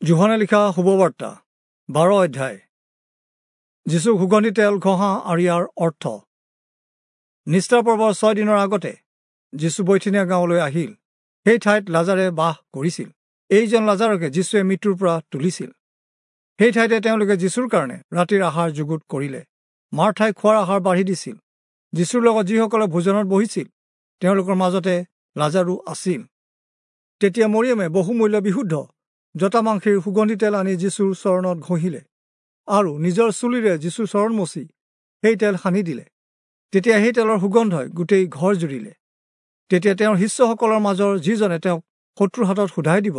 যোহনে লিখা শুভবাৰ্তা 12 অধ্যায়। যীচুক সুগন্ধি তেল ঘঁহা আৰু ইয়াৰ অৰ্থ। নিস্তাৰ পৰ্বৰ 6 দিনৰ আগতে যীচু বৈথনিয়া গাঁৱলৈ আহিল। সেই ঠাইত লাজাৰে বাস কৰিছিল। এইজন লাজাৰকে যীচুৱে মৃত্যুৰ পৰা তুলিছিল। সেই ঠাইতে তেওঁলোকে যীচুৰ কাৰণে ৰাতিৰ আহাৰ যুগুত কৰিলে। মাৰ্থাই খোৱাৰ আহাৰ বাঢ়ি দিছিল। যীচুৰ লগত যিসকলে ভোজনত বহিছিল তেওঁলোকৰ মাজতে লাজাৰো আছিল। তেতিয়া মৰিয়মে বহুমূল্য বিশুদ্ধ জটামাংসীৰ সুগন্ধি তেল আনি যীচুৰ চৰণত ঘঁহিলে আৰু নিজৰ চুলিৰে যীচুৰ চৰণ মচি সেই তেল সানি দিলে। তেতিয়া সেই তেলৰ সুগন্ধই গোটেই ঘৰ জুৰিলে। তেতিয়া তেওঁৰ শিষ্যসকলৰ মাজৰ যিজনে তেওঁক শত্ৰুৰ হাতত সোধাই দিব,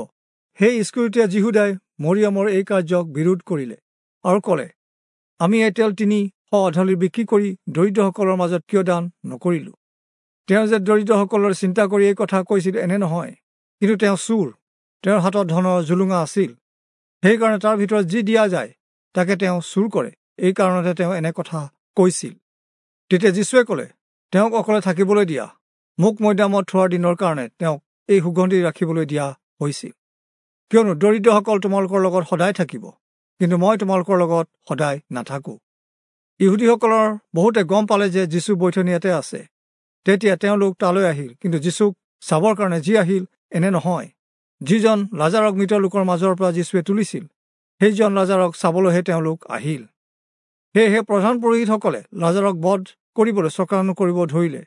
সেই ইস্কৰিয়তীয়া যিহূদাই মৰিয়মৰ এই কাৰ্যক বিৰোধ কৰিলে আৰু ক'লে, আমি এই তেল 300 আধলি বিক্ৰী কৰি দৰিদ্ৰসকলৰ মাজত কিয় দান নকৰিলোঁ? তেওঁ যে দৰিদ্ৰসকলৰ চিন্তা কৰি এই কথা কৈছিল এনে নহয়, কিন্তু তেওঁ চোৰ। তেওঁৰ হাতত ধনৰ জুলুঙা আছিল, সেইকাৰণে তাৰ ভিতৰত যি দিয়া যায় তাকে তেওঁ চুৰ কৰে। এই কাৰণতে তেওঁ এনে কথা কৈছিল। তেতিয়া যীচুৱে ক'লে, তেওঁক অকলে থাকিবলৈ দিয়া। মোক মৈদামত থোৱাৰ দিনৰ কাৰণে তেওঁক এই সুগন্ধি ৰাখিবলৈ দিয়া হৈছিল। কিয়নো দৰিদ্ৰসকল তোমালোকৰ লগত সদায় থাকিব, কিন্তু মই তোমালোকৰ লগত সদায় নাথাকোঁ। ইহুদীসকলৰ বহুতে গম পালে যে যীচু বৈথনিয়াতে আছে। তেতিয়া তেওঁলোক তালৈ আহিল, কিন্তু যীচুক চাবৰ কাৰণে যি আহিল এনে নহয়। যিজন লাজাৰক মৃত লোকৰ মাজৰ পৰা যীচুৱে তুলিছিল, সেইজন লাজাৰক চাবলৈহে তেওঁলোক আহিল। সেয়েহে প্ৰধান পুৰোহিতসকলে লাজাৰক বধ কৰিবলৈ চক্ৰান্ত কৰিব ধৰিলে,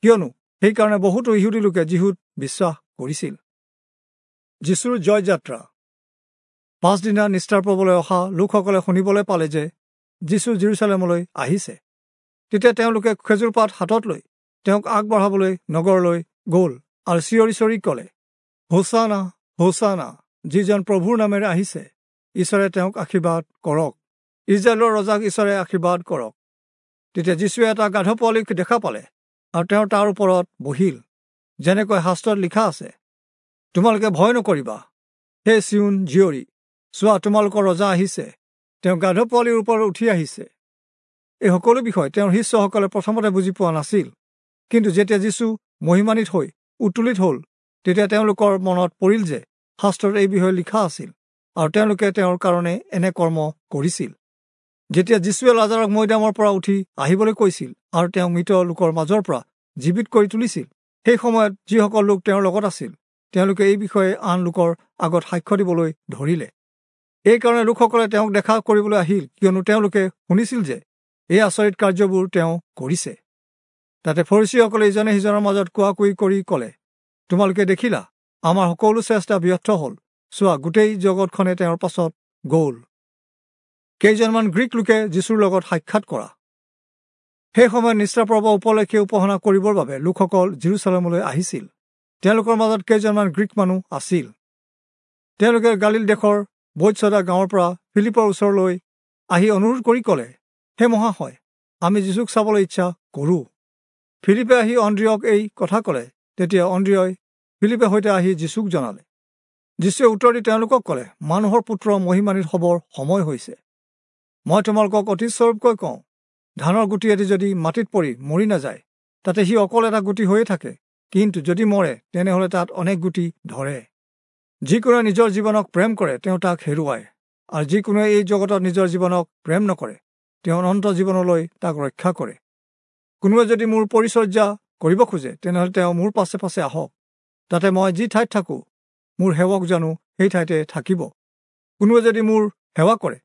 কিয়নো সেইকাৰণে বহুতো ইহুদী লোকে যীশুত বিশ্বাস কৰিছিল। যীচুৰ জয়যাত্ৰা। পাছদিনা নিস্তাৰ পৰ্বলৈ অহা লোকসকলে শুনিবলৈ পালে যে যীচু জেৰুচালেমলৈ আহিছে। তেতিয়া তেওঁলোকে খেজুৰ পাত হাতত লৈ তেওঁক আগবঢ়াবলৈ নগৰলৈ গ'ল আৰু চিঞৰি চিঞৰি ক'লে, হোচানা, হোচানা, যিজন প্ৰভুৰ নামেৰে আহিছে, ঈশ্বৰে তেওঁক আশীৰ্বাদ কৰক। ইজৰাইলৰ ৰজাক ঈশ্বৰে আশীৰ্বাদ কৰক। তেতিয়া যীচুৱে এটা গাধ পোৱালিক দেখা পালে আৰু তেওঁ তাৰ ওপৰত বহিল, যেনেকৈ শাস্ত্ৰত লিখা আছে, তোমালোকে ভয় নকৰিবা, হে চিয়োন জীয়ৰী, চোৱা তোমালোকৰ ৰজা আহিছে, তেওঁ গাধ পোৱালিৰ ওপৰত উঠি আহিছে। এই সকলো বিষয় তেওঁৰ শিষ্যসকলে প্ৰথমতে বুজি পোৱা নাছিল, কিন্তু যেতিয়া যীচু মহিমান্বিত হৈ উত্তোলিত হ'ল, তেতিয়া তেওঁলোকৰ মনত পৰিল যে শাস্ত্ৰত এই বিষয়ে লিখা আছিল আৰু তেওঁলোকে তেওঁৰ কাৰণে এনে কৰ্ম কৰিছিল। যেতিয়া যীচুৱে লাজাৰক মৈদামৰ পৰা উঠি আহিবলৈ কৈছিল আৰু তেওঁক মৃত লোকৰ মাজৰ পৰা জীৱিত কৰি তুলিছিল, সেই সময়ত যিসকল লোক তেওঁৰ লগত আছিল তেওঁলোকে এই বিষয়ে আন লোকৰ আগত সাক্ষ্য দিবলৈ ধৰিলে। এইকাৰণে লোকসকলে তেওঁক দেখা কৰিবলৈ আহিল, কিয়নো তেওঁলোকে শুনিছিল যে এই আচৰিত কাৰ্যবোৰ তেওঁ কৰিছে। তাতে ফৰীচীসকলে ইজনে সিজনৰ মাজত কোৱা কুই কৰি ক'লে, তোমালোকে দেখিলা, আমাৰ সকলো চেষ্টা ব্যৰ্থ হ'ল। চোৱা, গোটেই জগতখনে তেওঁৰ পাছত গ'ল। কেইজনমান গ্ৰীক লোকে যীচুৰ লগত সাক্ষাৎ কৰা। সেই সময়ত নিস্তাৰ পৰ্ব উপলক্ষে উপাসনা কৰিবৰ বাবে লোকসকল জেৰুচালেমলৈ আহিছিল। তেওঁলোকৰ মাজত কেইজনমান গ্ৰীক মানুহ আছিল। তেওঁলোকে গালিল দেশৰ বৈৎসদা গাঁৱৰ পৰা ফিলিপৰ ওচৰলৈ আহি অনুৰোধ কৰি ক'লে, হে মহাশয়, আমি যীচুক চাবলৈ ইচ্ছা কৰোঁ। ফিলিপে আহি অন্দ্ৰিয়ক এই কথা ক'লে। তেতিয়া অন্দ্ৰিয়ই ফিলিপে সৈতে আহি যীচুক জনালে। যীচুৱে উত্তৰ দি তেওঁলোকক ক'লে, মানুহৰ পুত্ৰ মহিমান্বিত হ'বৰ সময় হৈছে। মই তোমালোকক অতি স্বৰূপকৈ কওঁ, ধানৰ গুটি এটি যদি মাটিত পৰি মৰি নাযায়, তাতে সি অকল এটা গুটি হৈয়ে থাকে, কিন্তু যদি মৰে তেনেহ'লে তাত অনেক গুটি ধৰে। যিকোনোৱে নিজৰ জীৱনক প্ৰেম কৰে তেওঁ তাক হেৰুৱায়, আৰু যিকোনোৱে এই জগতত নিজৰ জীৱনক প্ৰেম নকৰে তেওঁ অনন্ত জীৱনলৈ তাক ৰক্ষা কৰে। কোনোৱে যদি মোৰ পৰিচৰ্যা কৰিব খোজে তেনেহ'লে তেওঁ মোৰ পাছে পাছে আহক, তাতে মই যি ঠাইত থাকোঁ মোৰ সেৱক জানো সেই ঠাইতে থাকিব। কোনোৱে যদি মোৰ সেৱা কৰে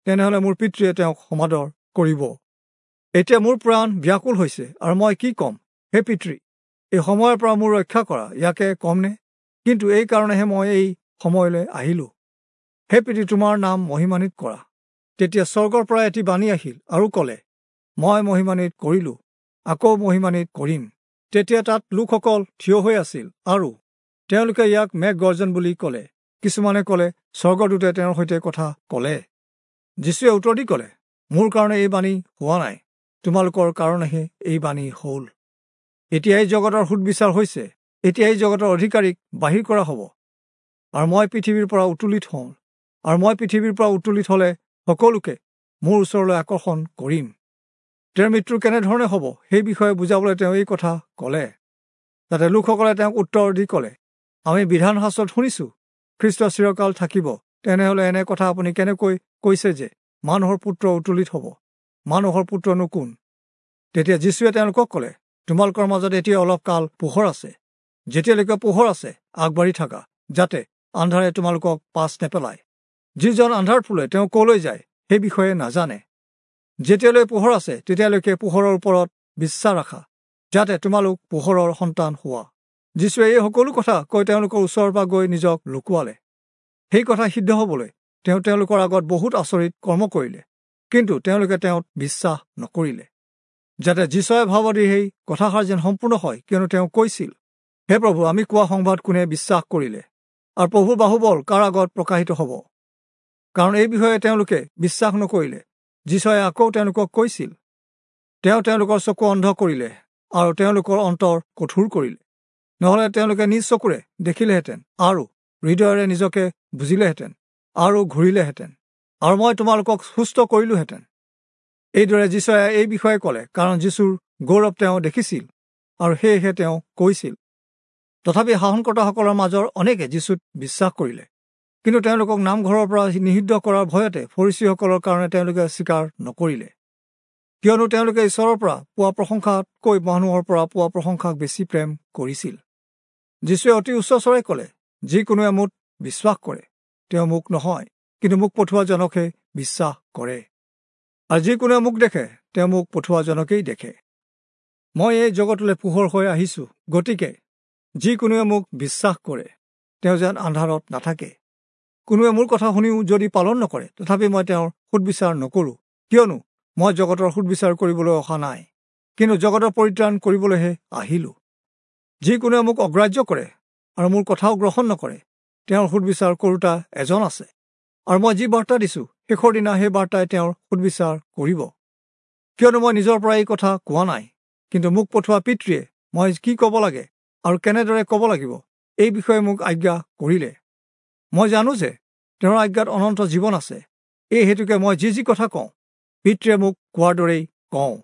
তেনেহ'লে মোৰ পিতৃয়ে তেওঁক সমাদৰ কৰিব। এতিয়া মোৰ প্ৰাণ ব্যাকুল হৈছে, আৰু মই কি ক'ম? হে পিতৃ, এই সময়ৰ পৰা মোৰ ৰক্ষা কৰা, ইয়াকে ক'মনে? কিন্তু এই কাৰণেহে মই এই সময়লৈ আহিলোঁ। হে পিতৃ, তোমাৰ নাম মহিমান্বিত কৰা। তেতিয়া স্বৰ্গৰ পৰা এটি বাণী আহিল আৰু ক'লে, মই মহিমান্বিত কৰিলোঁ, আকৌ মহিমান্বিত কৰিম। তেতিয়া তাত লোকসকল থিয় হৈ আছিল আৰু তেওঁলোকে ইয়াক মেঘ গৰ্জন বুলি ক'লে। কিছুমানে ক'লে, স্বৰ্গদূতে তেওঁৰ সৈতে কথা ক'লে। যীচুৱে উত্তৰ দি ক'লে, মোৰ কাৰণে এই বাণী হোৱা নাই, তোমালোকৰ কাৰণেহে এই বাণী হ'ল। এতিয়া এই জগতৰ সুদবিচাৰ হৈছে, এতিয়া এই জগতৰ অধিকাৰীক বাহিৰ কৰা হ'ব, আৰু মই পৃথিৱীৰ পৰা উত্তোলিত হওঁ, আৰু মই পৃথিৱীৰ পৰা উত্তোলিত হ'লে সকলোকে মোৰ ওচৰলৈ আকৰ্ষণ কৰিম। তেওঁৰ মৃত্যু কেনেধৰণে হ'ব সেই বিষয়ে বুজাবলৈ তেওঁ এই কথা ক'লে। তাতে লোকসকলে তেওঁক উত্তৰ দি ক'লে, আমি বিধান শাস্ত্ৰত শুনিছোঁ, খ্ৰীষ্ট চিৰকাল থাকিব, তেনেহলে এনে কথা আপুনি কেনেকৈ কৈছে যে মানুহৰ পুত্ৰ উত্তোলিত হ'ব? মানুহৰ পুত্ৰনো কোন? তেতিয়া যীশুৱে তেওঁলোকক ক'লে, তোমালোকৰ মাজত এতিয়া অলপ কাল পোহৰ আছে। যেতিয়ালৈকে পোহৰ আছে আগবাঢ়ি থাকা, যাতে আন্ধাৰে তোমালোকক পাছ নেপেলায়। যিজন আন্ধাৰ ফুলে তেওঁ কলৈ যায় সেই বিষয়ে নাজানে। যেতিয়ালৈ পোহৰ আছে তেতিয়ালৈকে পোহৰৰ ওপৰত বিশ্বাস ৰাখা, যাতে তোমালোক পোহৰৰ সন্তান হোৱা। যীশুৱে এই সকলো কথা কৈ তেওঁলোকৰ ওচৰৰ পৰা গৈ নিজক লুকুৱালে। সেই কথা সিদ্ধ হ'বলৈ তেওঁ তেওঁলোকৰ আগত বহুত আচৰিত কৰ্ম কৰিলে, কিন্তু তেওঁলোকে তেওঁত বিশ্বাস নকৰিলে, যাতে যীচুৱে ভাৱবাদীৰ সেই কথাষাৰ যেন সম্পূৰ্ণ হয়, কিয়নো তেওঁ কৈছিল, হে প্ৰভু, আমি কোৱা সংবাদ কোনে বিশ্বাস কৰিলে, আৰু প্ৰভুৰ বাহুবল কাৰ আগত প্ৰকাশিত হ'ব? কাৰণ এই বিষয়ে তেওঁলোকে বিশ্বাস নকৰিলে। যীচুৱে আকৌ তেওঁলোকক কৈছিল, তেওঁ তেওঁলোকৰ চকু অন্ধ কৰিলে আৰু তেওঁলোকৰ অন্তৰ কঠোৰ কৰিলে, নহ'লে তেওঁলোকে নিজ চকুৰে দেখিলেহেঁতেন আৰু হৃদয়েৰে নিজকে বুজিলেহেঁতেন আৰু ঘূৰিলেহেঁতেন, আৰু মই তোমালোকক সুস্থ কৰিলোহেঁতেন। এইদৰে যীচুৱে এই বিষয়ে ক'লে, কাৰণ যীশুৰ গৌৰৱ তেওঁ দেখিছিল আৰু সেয়েহে তেওঁ কৈছিল। তথাপি শাসনকৰ্তাসকলৰ মাজৰ অনেকে যীশুত বিশ্বাস কৰিলে, কিন্তু তেওঁলোকক নামঘৰৰ পৰা নিষিদ্ধ কৰাৰ ভয়তে ফৰীচীসকলৰ কাৰণে তেওঁলোকে স্বীকাৰ নকৰিলে, কিয়নো তেওঁলোকে ঈশ্বৰৰ পৰা পোৱা প্ৰশংসাতকৈ মানুহৰ পৰা পোৱা প্ৰশংসাক বেছি প্ৰেম কৰিছিল। যীশুৱে অতি উচ্চস্বৰে ক'লে, যিকোনোৱে মোত বিশ্বাস কৰে তেওঁ মোক নহয়, কিন্তু মোক পঠোৱাজনকহে বিশ্বাস কৰে, আৰু যিকোনোৱে মোক দেখে তেওঁ মোক পঠোৱাজনকেই দেখে। মই এই জগতলৈ পোহৰ হৈ আহিছোঁ, গতিকে যিকোনোৱে মোক বিশ্বাস কৰে তেওঁ যেন আন্ধাৰত নাথাকে। কোনোৱে মোৰ কথা শুনিও যদি পালন নকৰে, তথাপি মই তেওঁৰ সুদবিচাৰ নকৰোঁ, কিয়নো মই জগতৰ সুদবিচাৰ কৰিবলৈ অহা নাই, কিন্তু জগতৰ পৰিত্ৰাণ কৰিবলৈহে আহিলোঁ। যিকোনোৱে মোক অগ্ৰাহ্য কৰে আৰু মোৰ কথাও গ্ৰহণ নকৰে, তেওঁৰ সুদবিচাৰ কৰোঁতা এজন আছে, আৰু মই যি বাৰ্তা দিছোঁ শেষৰ দিনা সেই বাৰ্তাই তেওঁৰ সুদবিচাৰ কৰিব। কিয়নো মই নিজৰ পৰা এই কথা কোৱা নাই, কিন্তু মোক পঠোৱা পিতৃয়ে মই কি ক'ব লাগে আৰু কেনেদৰে ক'ব লাগিব এই বিষয়ে মোক আজ্ঞা কৰিলে। মই জানো যে তেওঁৰ আজ্ঞাত অনন্ত জীৱন আছে, এই হেতুকে মই যি যি কথা কওঁ পিতৃয়ে মোক কোৱাৰ দৰেই কওঁ।